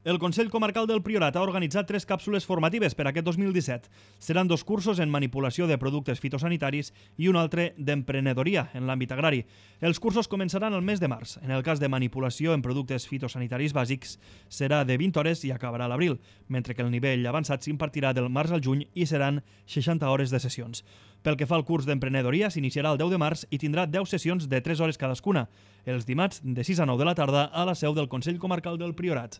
El Consell Comarcal del Priorat ha organitzat 3 càpsules formatives per aquest 2017. Seran 2 cursos en manipulació de productes fitosanitaris i un altre d'emprenedoria en l'àmbit agrari. Els cursos començaran el mes de març. En el cas de manipulació en productes fitosanitaris bàsics serà de 20 hores i acabarà a l'abril, mentre que el nivell avançat s'impartirà del març al juny i seran 60 hores de sessions. Pel que fa al curs d'emprenedoria, s'iniciarà el 10 de març i tindrà 10 sessions de 3 hores cadascuna, els dimarts de 6 a 9 de la tarda a la seu del Consell Comarcal del Priorat.